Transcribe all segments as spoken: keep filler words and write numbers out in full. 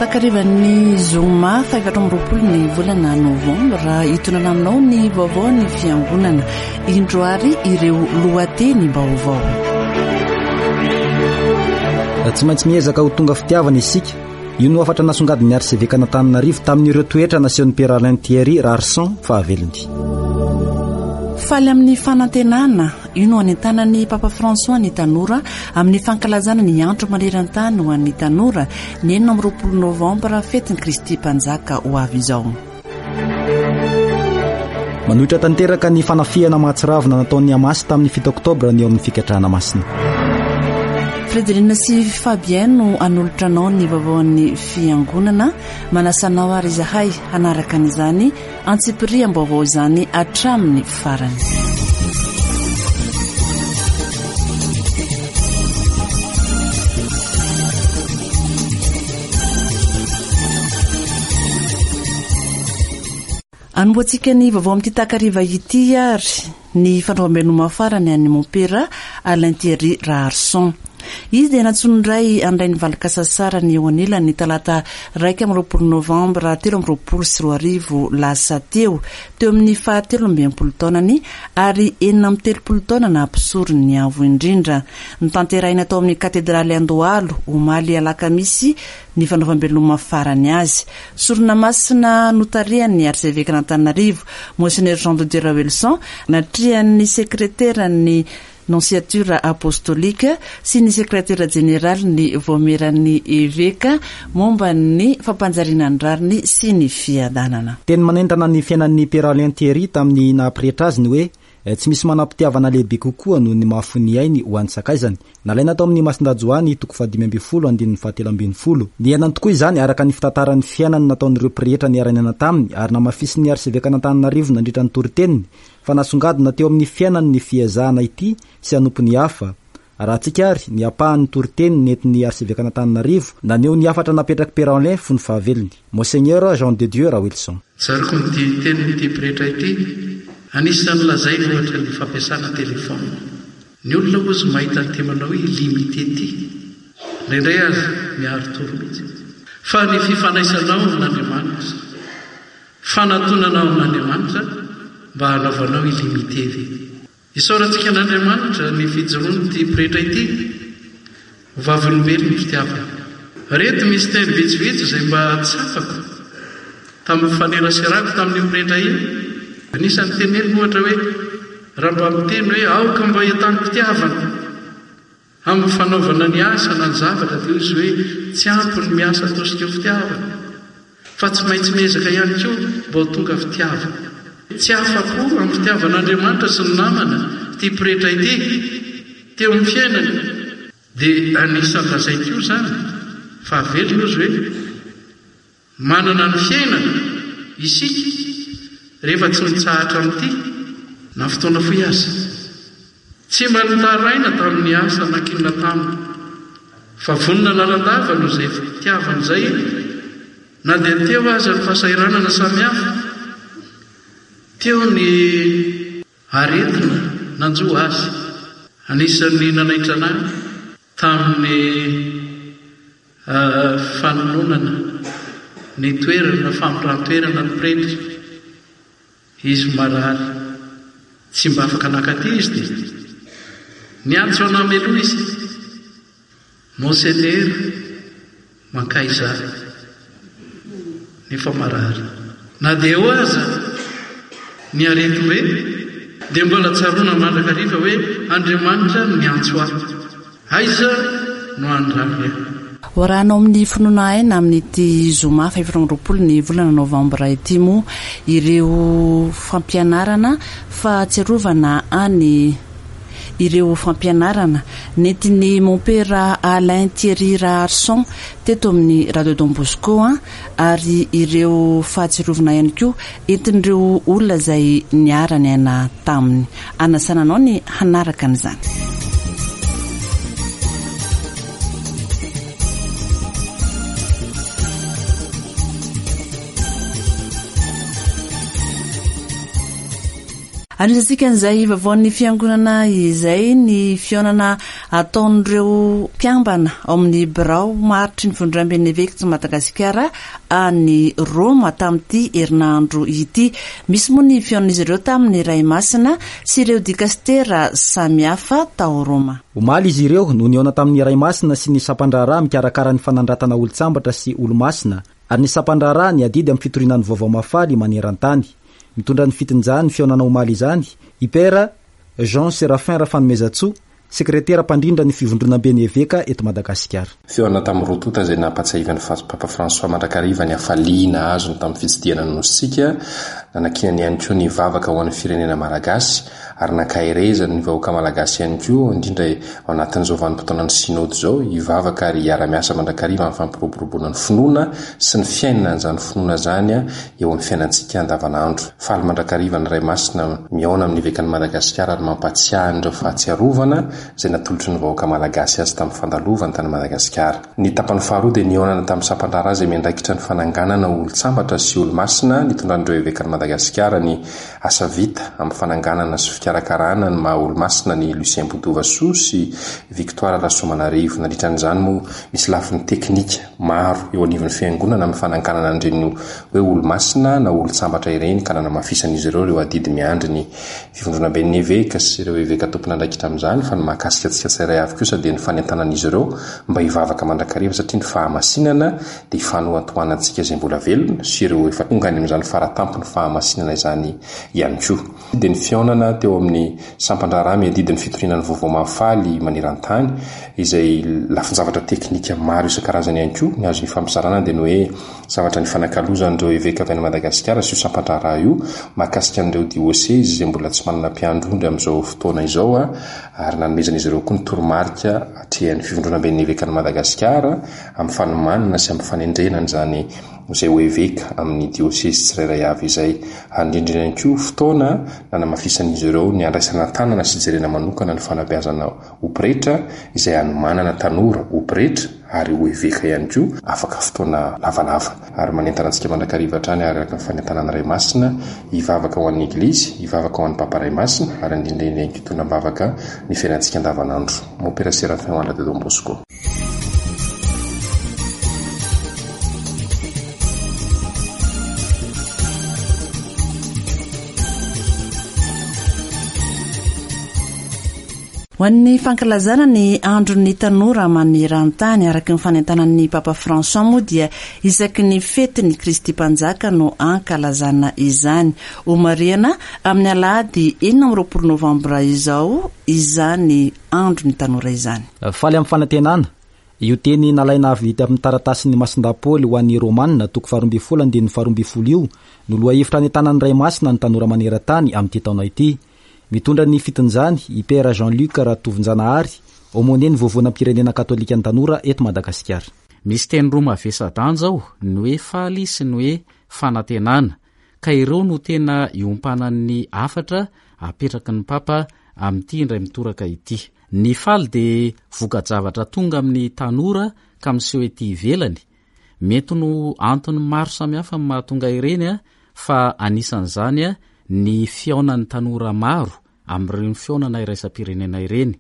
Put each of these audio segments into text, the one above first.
Takarivan'ny zoma fahaefatra amby roapolo ny volana novambra, hitondrana aminao ny vaovao ny fiangonana. Indro ary ireo lohateny vaovao. Tsy maintsy miezaka ho tonga fitiavana isika. Io no hafatra nasongadin'ny arsevekan'Antananarivo tamin'ireo toetra nasehon'ny Père Alain Thierry Raharison fahavelony. Faly amin'ny fanantenana, io no anentanan'ny Papa François ny tanora amin'ny fankalazana ny andro maneran-tany ho an'ny tanora ny enina amby roapolo novambra, fetin'i Kristy Mpanjaka ho avy izao. Manohitra tanteraka ny fanafihana mahatsiravina nataon'ny Hamas tamin'ny fito oktobra ny eo amin'ny fikatrahana masina. Frederina sy Fabien no hanolotra anao ny vaovaon'ny fiangonana. Manasa anao ary izahay hanaraka an'izany antsipiriam-baovao izany hatramin'ny farany. Anombohantsika ny vaovao amin'ity takariva ity ary ny fanaovam-beloma farany an'ny Mompera Alain Thierry Raharison. Izy dia nantsoin'ny ray handray ny valin-kasasarany eo anilany ny talata raika amby roapolo novambra telo amby roapolo sy roa arivo lasa teo, teo amin'ny fahatelo amby enimpolo taonany ary enina amby telopolo taona naha-mpisorony ny avo indrindra. Notanterahina tao amin'ny katedraly Andohalo omaly alakamisy ny fanaovam-beloma farany azy. Sorona masina notarihan'ny arsevekan'Antananarivo, Monseigneur Jean de Dieu Raoelison, natrehan'ny sekreteran'ny Nonciature apostolika sy ny sekretera jeneralin'ny Vaomieran'ny Eveka momba ny fampanjariana ny rariny sy ny fiadanana. Teny manentana ny fiainan'ny Père Alain Thierry tamin'ny naha-pretra azy ny hoe tsy misy manam-pitiavana lehibe kokoa noho ny mahafoy ny ainy ho an'ny sakaizany. Nalaina tao amin'ny Masindahy Joany toko fahadimy ambin'ny folo andininy fahatelo ambin'ny folo. Niainany tokoa izany araka ny fitantaran'ny fiainany nataon'ireo pretra niara-niaina taminy ary namafisin'ny arsevekan'Antananarivo nandritra ny toriteniny fa nasongadina teo amin'ny fiainany ny fiezahana ity sy hanompo ny hafa. Arahantsika ary ny ampahan'ny toriteny nentin'ny arsevekan'Antananarivo naneho ny hafatra napetrak'i Père Alain fony fahavelony, Monseigneur Jean de Dieu Raoelison. Tsaroko ny tenin'ity pretra ity, anisan'ny lazainy ohatra ny fampiasana telefona. Ny olona hozy mahita ny temanao hoe illimité ity, indraindray aza miaro-tory mihitsy. Fa ny fifandraisanao amin'Andriamanitra, fanatonanao amin'Andriamanitra mba hanaovanao illimité ve? Isaorantsika an'Andriamanitra ny fijoroan'ity pretra ity ho vavolombelon'ny fitiavana. Reto misy teny vitsivitsy izay mba tsapako tamin'ny faneraserako tamin'io pretra io. Anisan'ny teneniny ohatra hoe raha mba miteny hoe aoka mba hitanam-pitiavana amin'ny fanaovana ny asa na ny zavatra, dia hoy izy hoe tsy ampy ny miasa tosika fitiavana fa tsy maintsy miezaka ihany koa mba ho tonga fitiavana. Tsy afa-po amin'ny fitiavan'Andriamanitra sy ny namana ity pretra ity teo amin'ny fiainany. Dia anisan'ny lazainy koa izany fa velona izy hoe manana ny fiainana isika rehefa tsy mitsahatra amin'ity na fotoana fohy aza. Tsy mba nitaraina tamin'ny asa nankinina taminy fa vonona lalandava noho izay fitiavana izay na dia teo aza ny fahasahiranana samihafa. Teo ny aretina nanjo azy. Anisan'ny nanaitra anahy tamin'ny fanononana ny toerana famindran-toerana ny pretra. Izy marary, tsy mba afaka nakaty izy dia niantso anahy meloha izy. Monseigneur, mankaiza nefa marary. Na dia eo aza ny aretim-be dia mbola tsaroana mandrakariva hoe Andriamanitra no miantso ahy. Aiza no handrany ahy? Hoarahanao amin'ny finoana aina amin'ity zoma fahaefatra amby roapolo ny volana novambra ity moa ireo fampianarana fahatsiarovana any ireo fampianarana nentin'ny Mompera Alain Thierry Raharison teto amin'ny Radio Don Bosco ary ireo fahatsiarovana ihany koa entin'ireo olona izay niara-niaina taminy. Anasana anao ny hanaraka an'izany. Anisantsika an'izay vaovaon'ny fiangonana izay ny fihaonana ataon'ireo mpiambana ao amin'ny birao maharitry ny Fivondronamben'ny Eveka eto Madagasikara any Roma tamin'ity herinandro ity. Misy moa ny fihaonan'izy ireo tamin'ny Ray Masina sy ireo dikastera samihafa tao Roma. Omaly izy ireo no nihaona tamin'ny Ray Masina sy ny sampandraharaha mikarakara ny fanandratana olon-tsambatra sy olo-masina ary ny sampandraharaha ny adidy amin'ny fitoriana ny vaovao mahafaly maneran-tany. Mitondra ny fitinjany fihaonana omaly izany i Père Jean Séraphin Rafanomezantsoa, sekretera mpandrindra ny Fivondronamben'ny Eveka eto Madagasikara. Fihaonana tamin'ny roa tonta izay nampatsiahivan'ny Papa François mandrakariva ny hafaliana azony tamin'ny fitsidihana ny nosintsika, nanakiany ihany koa ny vavaka ho an'ny firenena malagasy ary nankaherezany ny vahoaka malagasy ihany koa, indrindra ao anatin'izao vanim-potoanan'ny synode izao, hivavaka ary hiara-miasa mandrakariva amin'ny fampiroboroboana ny finoana sy ny fiainana an'izany finoana izany eo amin'ny fiainantsika andavanandro. Faly mandrakariva ny Ray Masina mihaona amin'ny Evekan'i Madagasikara ary mampatsiahy an'ireo fahatsiarovana izay natolotry ny vahoaka malagasy azy tamin'ny fandalovany tany Madagasikara. Ny tapany faharoa dia nihaonana tamin'ny sampandraharaha izay miandraikitra ny fananganana olon-tsambatra sy olo-masina nitondran'ireo evekan'i Madagasikara ny asa vita amin'ny fananganana sy fikarakarana ny maha olo-masina ny Lucien Botovasoa sy Victoire Rasoamanarivo. Nandritra an'izany moa misy lafiny teknika maro eo anivon'ny fiangonana amin'ny fananganana an'ireny hoe olo-masina na olon-tsambatra ireny, ka nanamafisan'izy ireo ireo adidy miandry ny Fivondronamben'ny eveka sy ireo eveka tompon'andraikitra amin'izany. Fa ny mahakasika antsika tsirairay avy kosa dia ny fanentanan'izy ireo mba hivavaka mandrakariva, satria ny fahamasinana dia ifanohantohanantsika izay mbola velona sy ireo efa tonga any amin'izany faratampony fahamasinana izany ihany koa. Dia ny fihaonana teo amin'ny sampandraharaha miadidy ny fitoriana ny vaovao mahafaly maneran-tany, izay lafin-javatra teknika maro isan-karazany ihany koa. Ny azo ifampizarana dia ny hoe zavatra nifanakalozan'ireo eveka avy any Madagasikara sy io sampandraharaha io mahakasika an'ireo diosezy izay mbola tsy manana mpiandry ondry amin'izao fotoana izao, ary nanomezan'izy ireo koa ny toromarika atrehan'ny Fivondronamben'ny Evekan'i Madagasikara amin'ny fanomanana sy amin'ny fanendrena an'izany izay ho eveka amin'ny diosezy tsirairay avy izay. Ary indrindra ihany koa fotoana nanamafisan'izy ireo ny andraisana tanana sy jerena manokana ny fanabeazana ho pretra, izay hanomanana tanora ho pretra ary ho eveka ihany koa afaka fotoana lavalava. Ary manentana antsika mandrakariva hatrany araka ny fanentanana Ray Masina hivavaka ho an'ny Eglizy, hivavaka ho an'ny Papa Ray Masina, ary indrindra ihany koa hitondra am-bavaka ny fiainantsika andavanandro. Mompera Séraphin Wanda de Don Bosco. Ho an'ny fankalazana ny andron'ny tanora maneran-tany araka ny fanentanan'ny Papa François moa dia isaky ny fetin'ny Kristy Mpanjaka no ankalazana izany. Homarihana amin'ny alahady enina amby roapolo novambra izao izany andron'ny tanora izany. Faly amin'ny fanantenana, io teny nalaina avy tamin'ny taratasin'ny Masindahy Paoly ho an'ny Romanina toko faharoa ambin'ny folo andininy faharoa ambin'ny folo io no lohahevitra nentanan'ny Ray Masina ny tanora maneran-tany amin'ity taona ity. Mitondra ny fitinjany i Père Jean-Luc Ratovonjanahary, aumônier ny Vovonam-pirenena katolika ny tanora eto Madagasikara. Misy teny roa mavesa-danja ao, ny hoe faly sy ny hoe fanantenana, ka ireo no tena iompanan'ny hafatra apetraky ny Papa amin'ity indray mitoraka ity. Ny faly dia voka-javatra tonga amin'ny tanora ka miseho ety ivelany. Mety no antony maro samihafa no mahatonga ireny, fa anisan'izany ny fihaonan'ny tanora maro amin'ireny fihaonana iraisam-pirenena ireny,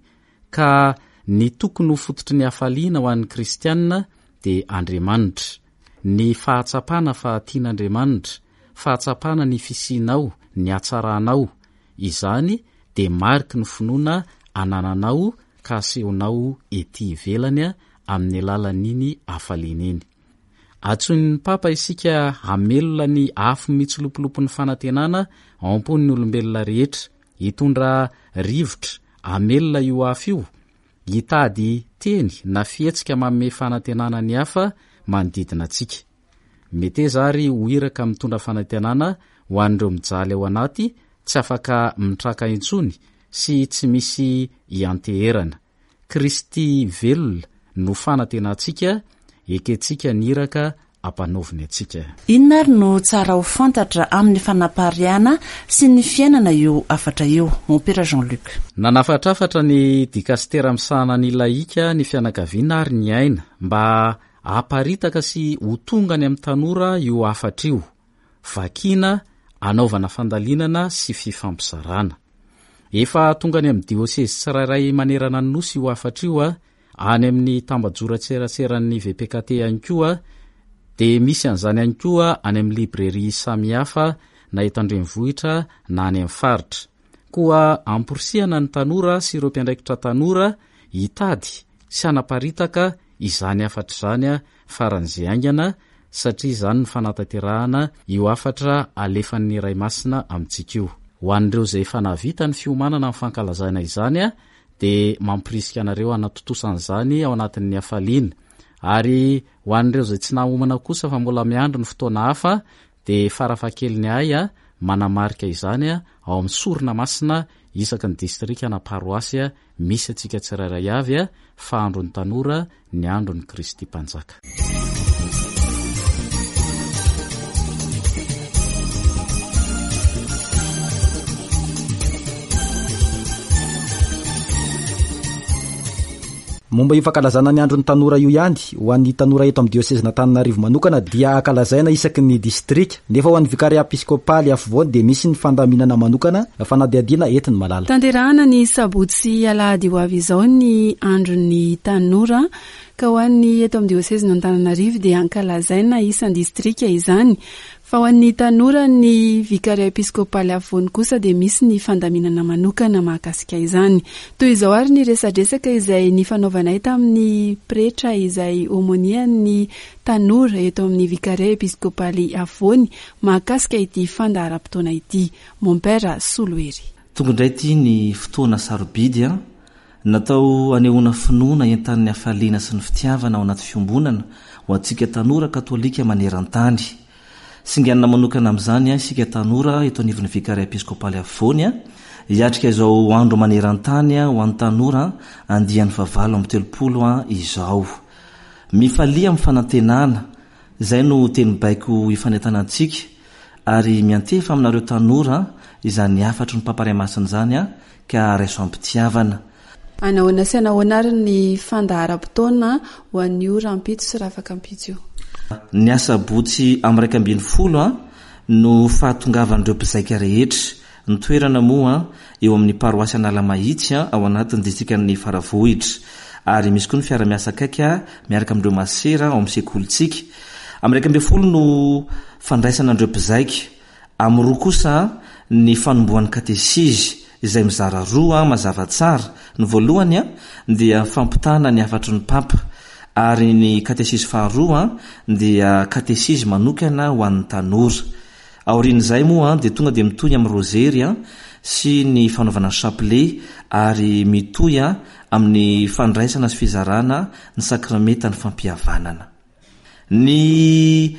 ka ny tokony ho fototry ny hafaliana ho an'ny kristianina dia Andriamanitra. Ny fahatsapana fa tian'Andriamanitra, fahatsapana ny fisianao, ny hatsaranao, izany dia mariky ny finoana anananao ka asehonao ety ivelany amin'ny alalan'iny hafaliana iny. Antsoin'ny Papa isika hamelona ny afo mitsilopilopin'ny fanantenana ao am-pon'ny olombelona rehetra, hitondra rivotra hamelona io afo io, hitady teny na fihetsika manome fanantenana ny hafa manodidina antsika. Meteza ary ho iraka mitondra fanantenana ho an'ireo mijaly ao anaty, tsy afaka mitraka intsony sy tsy misy ianteherana. Kristy velona no fanantenantsika, ekentsika ny iraka ampanaoviny antsika. Inona ary no tsara ho fantatra amin'ny fanapariahana sy ny fiainana io hafatra io, Mompera Jean-Luc? Nanafatrafatra ny dikastera misahana ny laika, ny fianakaviana ary ny aina mba haparitaka sy ho tonga any amin'ny tanora io hafatra io. Vakina, anaovana fandalinana sy fifampizarana. Efa tonga any amin'ny diosezy tsirairay manerana ny nosy io hafatra io, any amin'ny tambajotran-tseraseran'ny V P K T ihany koa, dia misy an'izany ihany koa any amin'ny librairie samihafa na eto an-drenivohitra na any amin'ny faritra. Koa amporisihana ny tanora sy ireo mpiandraikitra tanora hitady sy hanaparitaka izany hafatra izany a faran'izay haingana, satria izany ny fanatanterahana io hafatra alefan'ny Ray Masina amintsika io. Ho an'ireo izay efa nahavita ny fiomanana amin'ny fankalazana izany a dia mampirisika anareo hanatontosan'izany ao anatin'ny hafaliana, ary ho an'ireo izay tsy nahomana kosa fa mbola miandry ny fotoana hafa, dia farafahakeliny ahy a manamarika izany a ao amin'ny sorona masina isaky ny distrika na paroasy a misy antsika tsirairay avy a fa andron'ny tanora ny andron'ny Kristy Mpanjaka. Momba io fankalazana ny andron'ny tanora io ihany, ho an'ny tanora eto amin'ny diosezin'Antananarivo manokana dia ankalazaina isaky ny distrika, nefa ho an'ny vikaria episkopaly afovoany dia misy ny fandaminana manokana, fanadihadiana entiny malala. Tanterahana ny sabotsy alahady ho avy izao ny andron'ny tanora, ka ho an'ny eto amin'ny diosezin'Antananarivo dia ankalazaina isan-distrika izany, fa ho an'ny tanora ny vikaria episkopaly afovoany kosa dia misy ny fandaminana manokana mahakasika izany. Toy izao ary ny resadresaka izay nifanaovanay tamin'ny pretra izay aumônier-n'ny tanora eto amin'ny vikaria episkopaly afovoany mahakasika ity fandaharam-potoana ity, Mompera Solohery. Tonga indray ity ny fotoana sarobidy a natao anehoana finoana entanin'ny hafaliana sy ny fitiavana ao anaty fiombonana ho antsika tanora katolika maneran-tany. Singanina manokana amin'izany a isika tanora eto anivon'ny vikaria episkopaly afovoany a hiatrika izao andro maneran-tany a ho an'ny tanora andiany fahavalo amby telopolo a izao. Mifalia amin'ny fanantenana, izay no teny baiko ifanentanantsika, ary miantefa aminareo tanora izany hafatry ny Papa Ray Masina izany a ka raiso am-pitiavana. Anahoana sy anahoana ary ny fandaharam-potoana ho an'io rahampitso sy rahafakampitso io? Ny asabotsy amin'ny raika ambin'ny folo a no fahatongavan'ireo mpizaika rehetra. Ny toerana moa eo amin'ny paroasy Analamahitsy a ao anatin'ny distrikan'ny Faravohitra, ary misy koa ny fiara-miasa akaiky miaraka amin'ireo masera ao amin'ny sekolintsika. Amin'ny raika ambin'ny folo no fandraisana an'ireo mpizaika. Amin'ny roa kosa ny fanombohan'ny katesizy izay mizara roa mazava tsara. Ny voalohany a dia fampitana ny hafatry ny Papa, ary ny katesizy faharoa dia katesizy manokana ho an'ny tanora. Aorian'izay moa dia tonga dia mitohy amin'ny rozery a sy ny fanaovana chapelet, ary mitohy a amin'ny fandraisana sy fizarana ny sakramenta ny fampihavanana. Ny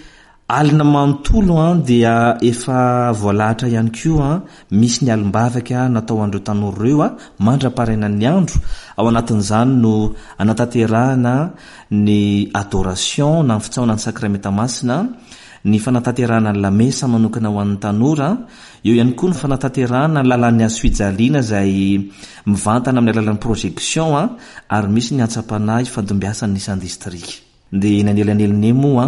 alina manontolo a dia efa voalahatra ihany koa, misy ny alim-bavaka natao an'ireo tanora ireo a mandra-parainan'ny andro. Ao anatin'izany no anatanterahana ny adoration na ny fitsaona ny sakramenta masina, ny fanatanterahana ny lamesa manokana ho an'ny tanora, eo ihany koa ny fanatanterahana ny lalan'ny hazo fijaliana izay mivantana amin'ny alalan'ny projection a ary misy ny antsam-panahy fandimbiasan'ny isan-distrika. Dia eny anelanelany moa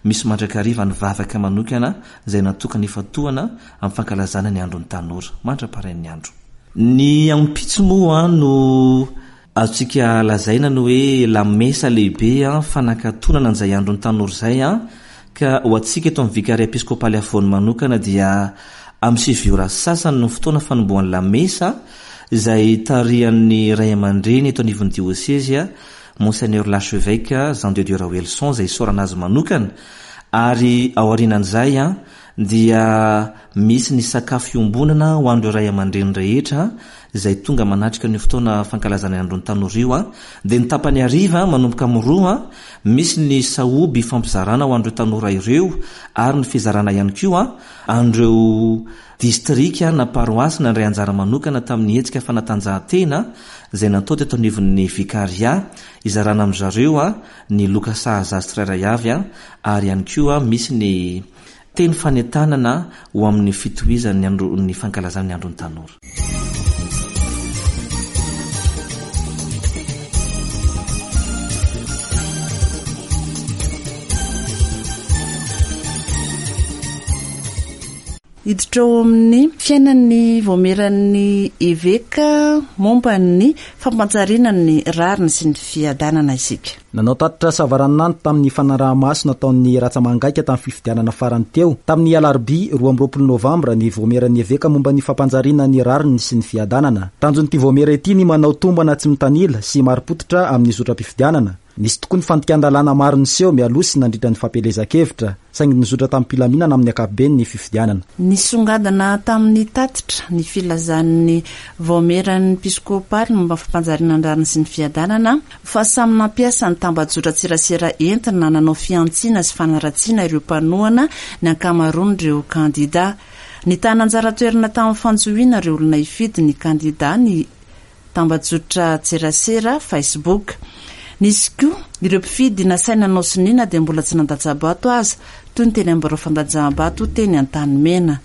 misy mandrakariva ny vavaka manokana izay natokana ifantohana amin'ny fankalazana ny andron'ny tanora mandra-parain'ny andro. Ny ampitso moa no azontsika lazaina ny hoe lamesa lehibe a fanakatonana an'izay andron'ny tanora izay a ka ho antsika eto amin'ny vikaria episkopaly afovoany manokana dia amin'ny sivy ora sasany no fotoana fanombohan'ny lamesa izay tarihan'ny ray aman-dreny eto anivon'ny diosezy a Monseigneur l'archevêque Jean de Dieu Raoelson izay isaorana azy manokana, ary ao aorianan'izay a dia misy ny sakafo iombonana ho an'ireo ray aman-dreny rehetra izay tonga manatrika ny fotoana fankalazana ny andron'ny tanora io a dia ny tapany hariva manomboka amin'ny roa misy ny sahoby fampizarana ho an'ireo tanora ireo, ary ny fizarana ihany koa an'ireo distrika na paroasy nandray anjara manokana tamin'ny hetsika fanatanjahantena izay natao teto anivon'ny vikaria, izarana amin-dry zareo a ny loka sahaza azy tsirairay avy a ary ihany koa misy ny teny fanentanana ho amin'ny fitohizan'ny andro ny fankalazana ny andron'ny tanora. Hiditra ao amin'ny fiainan'ny vaomieran'ny eveka momba ny fampanjariana ny rariny sy ny fiadanana isika. Nanao tatitra savaranonando tamin'ny fanaraha-maso nataon'ny ratsa-mangaika tamin'ny fifidianana farany teo tamin'ny alarobia roa amby roapolo novambra ny vaomieran'ny eveka momba ny fampanjariana ny rariny sy ny fiadanana. Tanjon'ity vaomiera ity ny manao tombana tsy mitanila sy marim-pototra amin'ny zotram-pifidianana. Nisy tokoa ny fandikan-dalàna maro niseho mialoha sy nandritra ny fampielezan-kevitra, saingy nizotra tamin'ny-pilaminana amin'ny ankapobeny ny fifidianana. Nisongadina tamin'ny tatitra ny filazan'ny vaomieran'ny episkopaly momba ny fampanjariana ny rariny sy ny fiadanana fa samy nampiasa ny tambajotran-tserasera entina nanao fihantsiana sy fanaratsiana ireo mpanohana ny ankamaroan'ireo kandida. Nitana anjara toerana tamin'ny fanjohiana ireo olona hifidy ny kandida ny tambajotran-tserasera Facebook. Nisy koa ireo mpifidy nasaina nanao sonia na dia mbola tsy nandatsa-bato aza, toy ny teny amin'ny birao fandatsaham-bato teny Antanimena.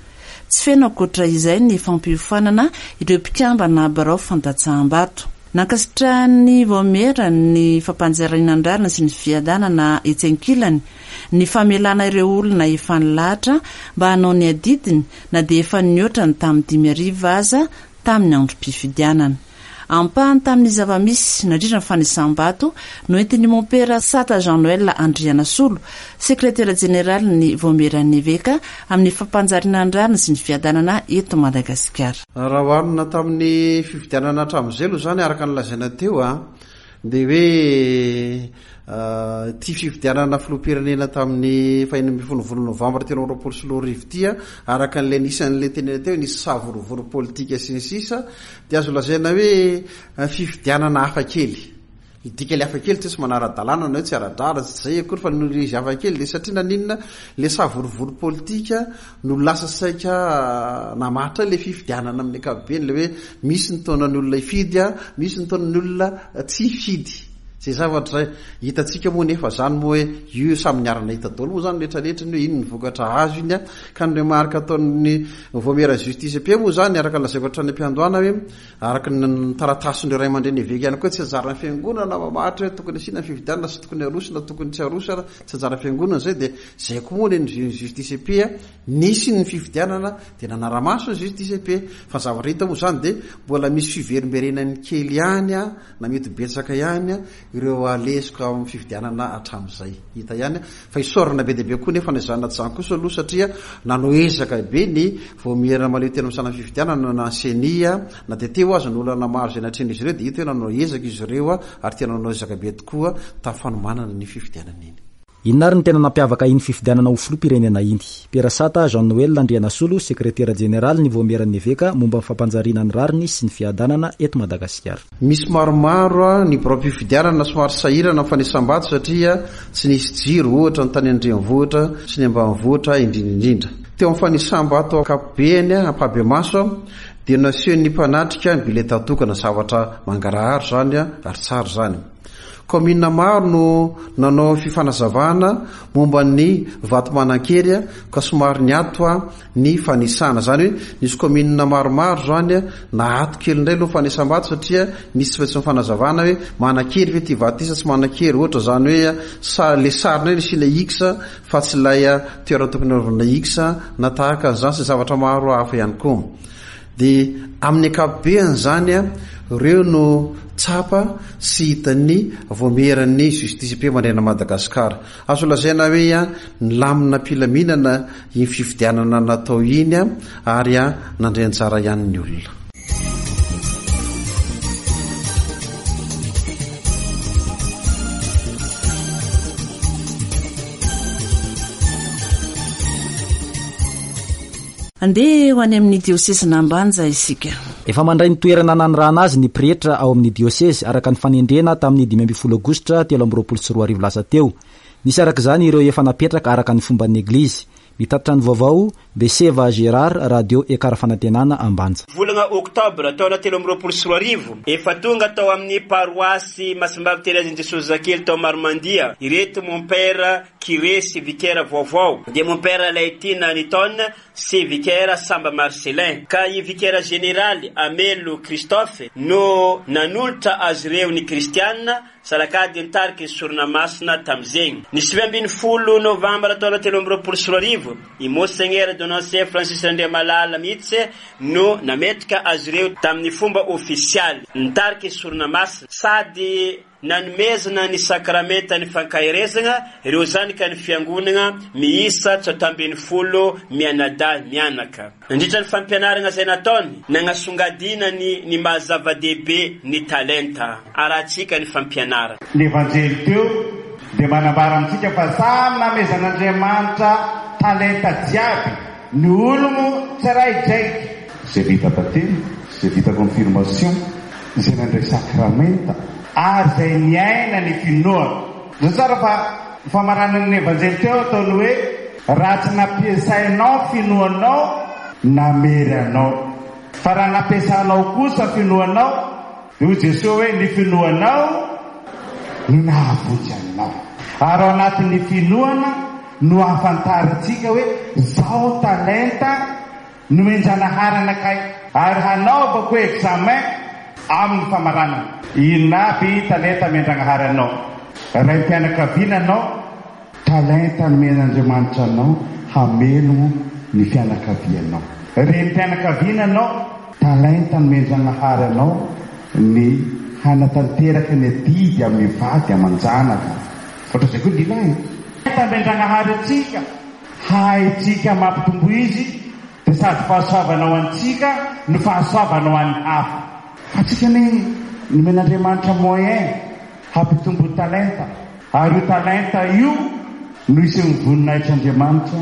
Tsy feno ankoatra izay ny fampiofanana ireo mpikambana birao fandatsaham-bato. Nankasitrahan'ny vaomiera ny fampanjariana ny rariny sy ny fiadanana etsy ankilany, ny famelana ireo olona efa nilahatra mba hanao ny adidiny na dia efa nihoatra ny tamin'ny dimy arivo aza tamin'ny androm-pifidianana. Ampahany tamin'ny zava-misy nandritra ny fanisam-bato no entin'ny mompera Sata Jean Noël Andrianasolo, sekretera jeneralin'ny vaomieran'ny eveka amin'ny fampanjariana ny rariny sy ny fiadanana eto Madagasikara. Raha oharina tamin'ny fifidianana hatramin'izay aloha izany, araka ny lazaina teo a, dia hoe ity fifidianana filoham-pirenena tamin'ny fahenina ambin'ny folo volana novambra telo amby roapolo sy roa arivo ity a, araka an'ilay nisan'ilay tenena teo, nisy savorovoro politika sy ny sisa, dia azo lazaina hoe fifidianana hafakely. Ny dika ilay hafakely tsy manara-dalàna na hoe tsy ara-drariny, tsy izay akory, fa noho izy hafakely dia satria naninona ilay savorovoro politika no lasa saika namatra ilay fifidianana amin'ny ankapobeny, ilay hoe misy ny taonan'ny olona hifidy, misy ny taonan'ny olona tsy hifidy. Izay zavatra izay hitantsika moa nefa izany moa hoe io samy niarana hita daholo moa izany rehetrarehetra ny hoe ino ny vokatra azo iny a, ka ny remarque ataon'ny vaomiera justice P moa izany araka ny lazaiko hatrany am-piandohana hoe araka ny taratasin'ireo ray aman-dreny eveka ihany koa tsy anjaran'ny fiangonana mamaritra hoe tokony asiana fifidianana sy tokony aroso na tokony tsy aroso ary tsy anjaran'ny fiangonana izay, dia izay koa moa ny justice P a, nisy ny fifidianana dia nanara-maso ny justice P, fa ny zavatra hita moa izany dia mbola misy fiverimberenany kely ihany a, na mety betsaka ihany a, ireo alesoka amin'ny fifidianana hatramin'izay hita ihany, fa isaorana be dia be koa nefa na izany na tsy izany kosa aloha satria nanao ezaka be ny vaomiera mahaleo tena amin'ny sahan'ny fifidianana na ny C E N I, na dia teo aza ny olana maro izay natrehin'izy ireo dia hita hoe nanao ezaka izy ireo ary tena nanao ezaka be tokoa tamin'ny fanomanana ny fifidianana iny. Inona ary ny tena nampiavaka iny fifidianana ho filoham-pirenena iny? Pera Sata Jean Noël Andrianasolo, sekretera jeneraly ny vaomieran'ny eveka momba ny fampanjariana ny rariny sy ny fiadanana eto Madagasikara. Misy maromaro ny birao-pifidianana somary sahirana amin'ny fanisam-bato satria tsy nisy jiro, ohatra ny tany an-drenivohitra sy ny ambanivohitra indrindra indrindra. Teo amin'ny fanisam-bato ankapobeny ampahibemaso dia nasehon'ny mpanatrika ny bileta tokana, zavatra mangarahara izany ary tsara izany. Kaominina maro no nanao fifanazavana momba ny vato manan-kery ka somary niato ny fanisana. Izany hoe nisy kaominina maromaro izany naato kely indray aloha fanisam-bato satria nisy tsy maintsy fanazavana hoe manan-kery ve ity vato ity sa tsy manan-kery, ohatra izany hoe sa le sary indray nasiana X fa tsy ilay toerana tokony hanaovana X na tahaka an'izany sy zavatra maro hafa ihany koa. Dia amin'ny ankapobeny izany ireo no tsapa sy hitan'ny vaomieran'ny justice P manerana Madagasikara. Azo lazaina hoe nilamina am-pilaminana iny fifidianana natao iny ary nandray anjara ihany ny olona. Andeha ho any amin'ny diosezin'Ambanja isika. Efa mandray ny toerana nanirahana azy ny pretra ao amin'ny diosezy araka ny fanendrena tamin'ny dimy ambin'ny folo aogositra telo amby roapolo sy roa arivo lasa teo. Nisy araka izany ireo efa napetraka araka ny fomban'ny eglizy. Mitatitra ny vaovao Beseva Gérard, Radio Ekar Fanantenana Ambanja. Volana oktobra taona telo amby roapolo sy roa arivo, efa tonga tao amin'ny paroasy Masimbavy Terezin'i Jesosy Zakely tao Maromandia ireto mompera curé sy vicaire vaovao, dia mompera Laitina Niton sy vicaire Samba Marcelin, ka i vicaire général Amelo Christophe no nanolotra azy ireo ny kristiana. Salakady nitariky ny sorona masina tamin'izegny. Ny sivy ambin'ny folo novambra taona telo amby roapolo sy roa arivo, i Monseigneur Donatien Francis Randriamalala mihitsy no nametraka azy ireo tamin'ny fomba ofisialy. Nitariky ny sorona masina sady nanomezana ny sakramenta ny fankaherezana ireo zanaky ny fiangonana miisa tsota ambin'ny folo mianadahy mianaka. Nandritra ny fampianarana izay nataony, nanasongadina ny ny maha zava-dehibe ny talenta. Arahantsika ny fampianarana. Ny Evanjely teo dia manambara amintsika fa samy namezan'Andriamanitra talenta jiaby ny ologno tsiraidraiky. Izay vita batemy, izay vita confirmation, izay nandray sakramenta, ary izay niaina ny finoana. Zao tsara fa ny famaranan'ny Evanjely teo ataony hoe raha tsy nampiasainao finoanao, namery anao. Fa raha nampiasanao kosa finoanao, dia hoy Jesoa hoe ny finoanao no nahavonjy anao. Ary ao anatin'ny finoana no ahafantarantsika hoe zao talenta nomen-janahary anakay, ary hanaovako examen amin'ny famaranana. Inona aby talenta omen-dragnahary anao? Raim-pianakaviana anao, talenta nomen'Andriamanitra anao hamelogno ny fianakavianao. Renim-pianakaviana anao, talenta nomen-dragnahary anao ny hanatanteraka ny adidy amin'ny vady aman-janaka. Ohatran'izay koa ny lehilahy. Talenta omen-dragnahary antsika, haintsika mampitombo izy, dia sady fahasoavana ho antsika no fahasoavana ho an'ny hafa. Fa tsika anie nomen'Andriamanitra moyen hampitombo talenta, ary io talenta io no isehoan'ny voninahitr'Andriamanitra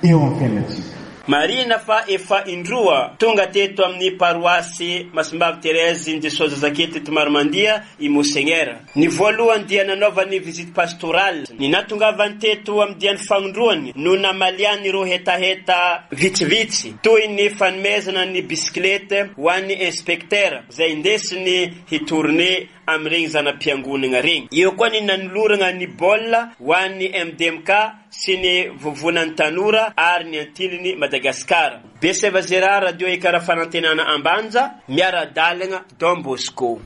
eo amin'ny fiainantsika. Marihina fa efa indroa tonga teto amin'ny paroasy Masimbavy Thérèse Jesoa Zazakely teto Maromandia i Monseigneur. Ny voalohany dia nanaovany visite pastorale. Ny natongavany teto amin'ny diany fagnondroany no namaliany ireo hetaheta vitsivitsy toy ny fanomezana ny bisikileta ho an'ny inspecteur izay indesiny hitourne amin'ireny zana-piangonana regny. Eo koa ny nanolorana ny baolina ho an'ny M D M K sy ny vovonan'ny tanora ary ny antiliny Madagasikara. Beseva Gérard, Radio Ekara Fanantenana Ambanja, miara-dalana Don Bosco.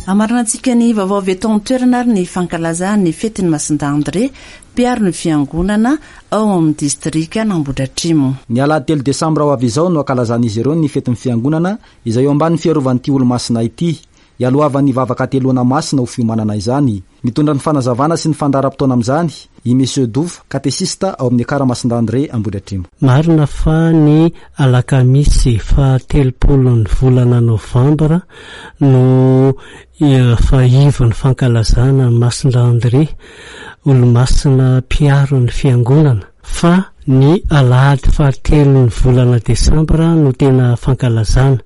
Amaranantsika ny vaovao avy eto an-toerana ary ny fankalazana ny fetin'ny Masindahy André, mpiaro ny fiangonana ao amin'ny distrika Ambohidratrimo. Ny alahady telo desambra ho avy izao no ankalazan'izy ireo ny fetin'ny fiangonana izay eo ambanin'ny fiarovan'ity olo-masina ity. Ialohavan'ny vavaka teloana masina ho fiomanana izany. Mitondra ny fanazavana sy ny fandaharam-potoana amin'izany i Monsieur Douf, katesista ao amin'ny Ekara Masindahy André Ambohidratrimo. Marina fa ny alakamisy fahatelopolo ny volana novambra no fahivo ny fankalazana Masindahy André, olo-masina mpiaro ny fiangonana, fa ny alahady fahatelo ny volana desambra no tena fankalazana,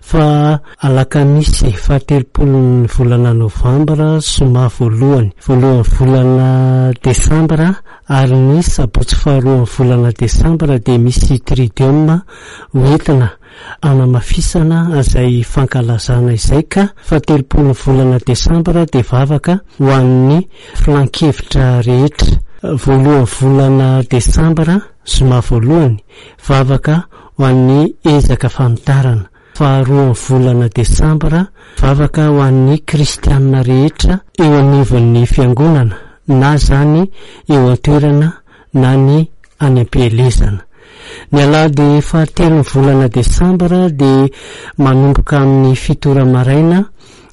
fa alakamisy fahatelopolo ny volana novambra, zoma voalohany, voalohany volana desambra ary ny sabotsy faharoa ny volana desambra dia misy tridium hoentina anamafisana izay fankalazana izay, ka fahatelopolo ny volana desambra dia vavaka ho an'ny filankevitra rehetra. Voalohany volana desambra, zoma voalohany, vavaka ho an'ny ezaka fanitarana. Faharoa volana desambra, vavaka ho an'ny kristianina rehetra eo anivon'ny fiangonana, na zany eo an-toerana na ny any am-pielezana. Ny alahady fahatelo ny volana desambra dia manomboka amin'ny fito ora maraina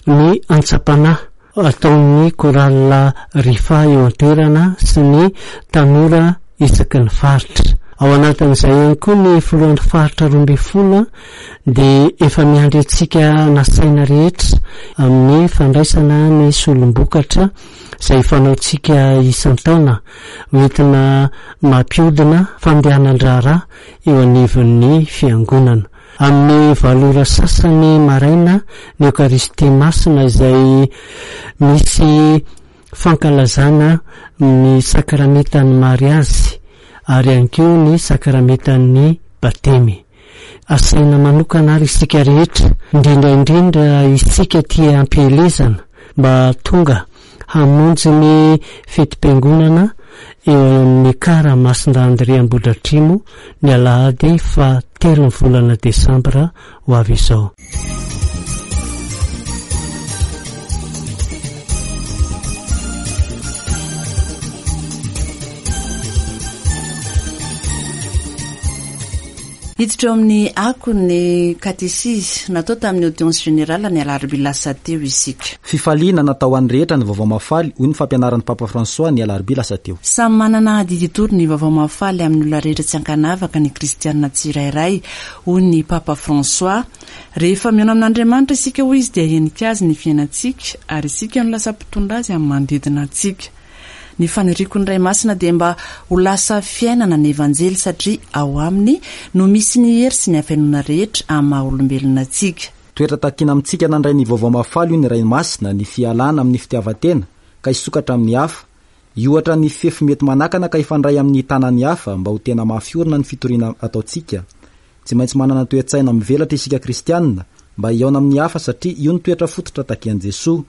ny antsam-panahy ataon'ny chorale Rifa eo an-toerana sy ny tanora isaky ny faritra. Ao anatin'izay ihany koa ny filohan'ny faritra roa ambin'ny folo dia efa miandry antsika nasaina rehetra amin'ny fandraisana ny solombokatra izay fanaontsika isan-taona hoentina mampiodina fandehanan-draharaha eo anivon'ny fiangonana. Amin'ny valo ora sasany maraina ny Eokaristia masina izay misy fankalazana ny sakramentan'ny mariazy ary ihany koa ny sakramentan'ny batemy. Asaina manokana ary isika rehetra, indrindra indrindra isika tia ampielezana, mba tonga hamonjy ny fetim-piangonana eo amin'ny Ekar Masindahy André Ambohidratrimo ny alahady faha telo ny volana desambra ho avy izao. Hiditra eo amin'ny akon'ny katesizy natao tamin'ny audience générale ny alarobia lasa teo isika. Fifaliana natao an'ny rehetra ny vaovao mahafaly, hoy ny fampianaran'ny Papa François ny alarobia lasa teo. Samy manana adidy hitory ny vaovao mahafaly amin'ny olona rehetra tsy ankanavaka ny kristianina tsirairay, hoy ny Papa François. Rehefa mihaona amin'Andriamanitra isika, hoy izy, dia henika azy ny fiainantsika ary isika no lasa mpitondra azy amin'ny manodidina antsika. Ny faniriako ny Ray Masina dia mba ho lasa fiainana ny Evanjely satria ao aminy no misy ny hery sy ny hafenoana rehetra amin'ny maha olombelona antsika. Toetra takiana amintsika nandray ny vaovao mahafaly, hoy ny Ray Masina, ny fialana amin'ny fitiavan-tena ka hisokatra amin'ny hafa, hiohatra ny fefy mety manakana ka hifandray amin'ny tanan'ny hafa mba ho tena mafy orina ny fitoriana ataontsika. Tsy maintsy manana toe-tsaina mivelatra isika kristianina mba hihaona amin'ny hafa satria io no toetra fototra takian'i Jesoa.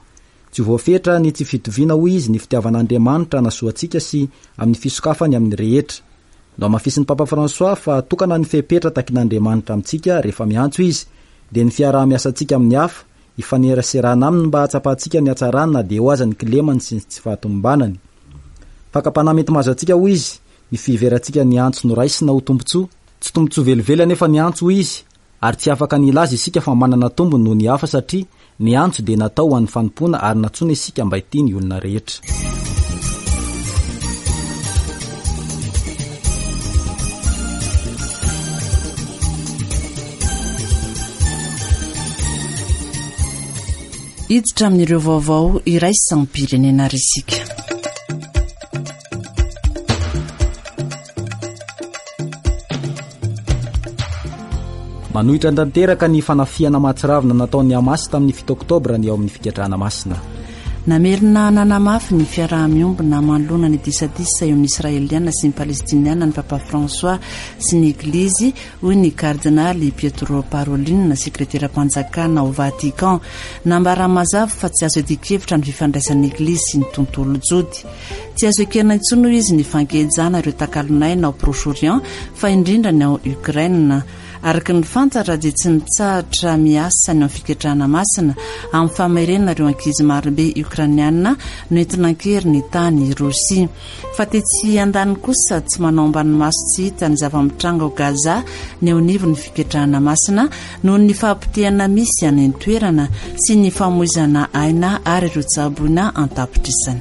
Tsy voafetra ny tsy fitoviana, hoy izy, ny fitiavan'Andriamanitra hanasoa antsika sy amin'ny fisokafany amin'ny rehetra. Nohamafisin'ny Papa François fa tokana ny fepetra takin'Andriamanitra amintsika rehefa miantso izy, dia ny fiaraha-miasantsika amin'ny hafa, hifaneraserana aminy mba hahatsapantsika ny hatsarany na dia eo aza ny kilemany sy ny tsy fahatomombanany. Fakam-panahy mety mahazo antsika, hoy izy, ny fiheverantsika ny antso noraisina ho tombontsoa. Tsy tombontsoa velively anefa ny antso, hoy izy, ary tsy afaka ny hilaza isika fa manana tombony noho ny hafa satria ny antso dia natao ho an'ny fanompoana ary nantsoina isika mba hitia ny olona rehetra. Hiditra amin'ireo vaovao iraisam-pirenena ary isika. Manohitra tanteraka ny fanafihana mahatsiravina nataon'ny Hamas tamin'ny fito oktobra ny ao amin'ny fiketrahana masina. Namerina nanamafy ny fiaraha-miombona manoloana ny disadisa eo amin'ny Israeliana sy ny Palestiniana ny Papa François sy ny Eglizy, hoy ny kardinaly Pietro Parolin, sekreteram-panjakana ao Vatican. Nambara mazava fa tsy azo iadian-kevitra ny fifandraisan'ny Eglizy sy ny tontolo jody. Tsy azo ekena intsony, hoy izy, ny fankejana ireo takalonaina ao Proche-Orient, fa indrindra ny ao Ukraine. Araka ny fantatra dia tsy mitsahatra miasa ny amin'ny fiketrahana masina amin'ny famerenana ireo ankizy marobe ukrainiana noentina an-kery ny tany Rosia. Fa tetsy andaniny kosa tsy manao ambany maso tsy hita ny zava-mitranga ao Gaza ny eo anivon'ny fiketrahana masina noho ny fahapotehana misy any an-toerana sy ny famoizana aina ary ireo tsaboina an-tapitrisany.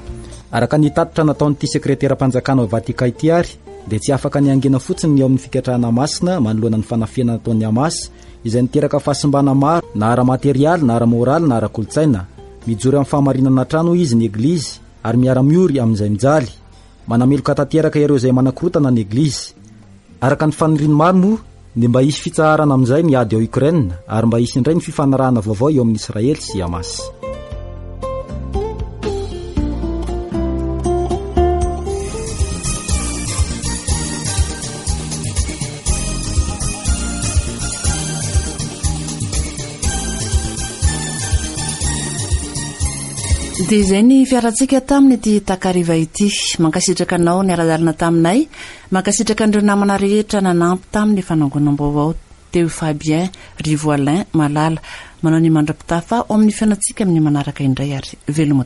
Araka ny tatitra nataon'ity sekreteram-panjakana ao Vatican ity ary dia tsy afaka ny hangina fotsiny ny ao amin'ny fiketrahana masina manoloana ny fanafihana nataon'ny Hamas izay niteraka fahasimbana maro na ara-materialy na ara-moraly na ara-kolontsaina. Mijoro amin'ny fahamarinana hatrany, hoy izy, ny Eglizy ary miara-miory amin'izay mijaly. Manameloka tanteraka ireo izay manakorotana ny Eglizy. Araka ny faniriany maro moa ny mba hisy fitsaharana amin'izay ny ady ao Ukraine ary mba hisy indray ny fifanarahana vaovao eo amin'ny Israely sy Hamas. Dia izay ny fiarahantsika tamin'ny ity takariva ity. Mankasitraka anao niara-dalana taminay, mankasitraka an'ireo namana rehetra nanampy tamin'ny fanangonam-baovao teo, Fabien Rivoalin Malala. Manao ny mandra-pitafa ao amin'ny fiainantsika amin'ny manaraka indray ary veloma.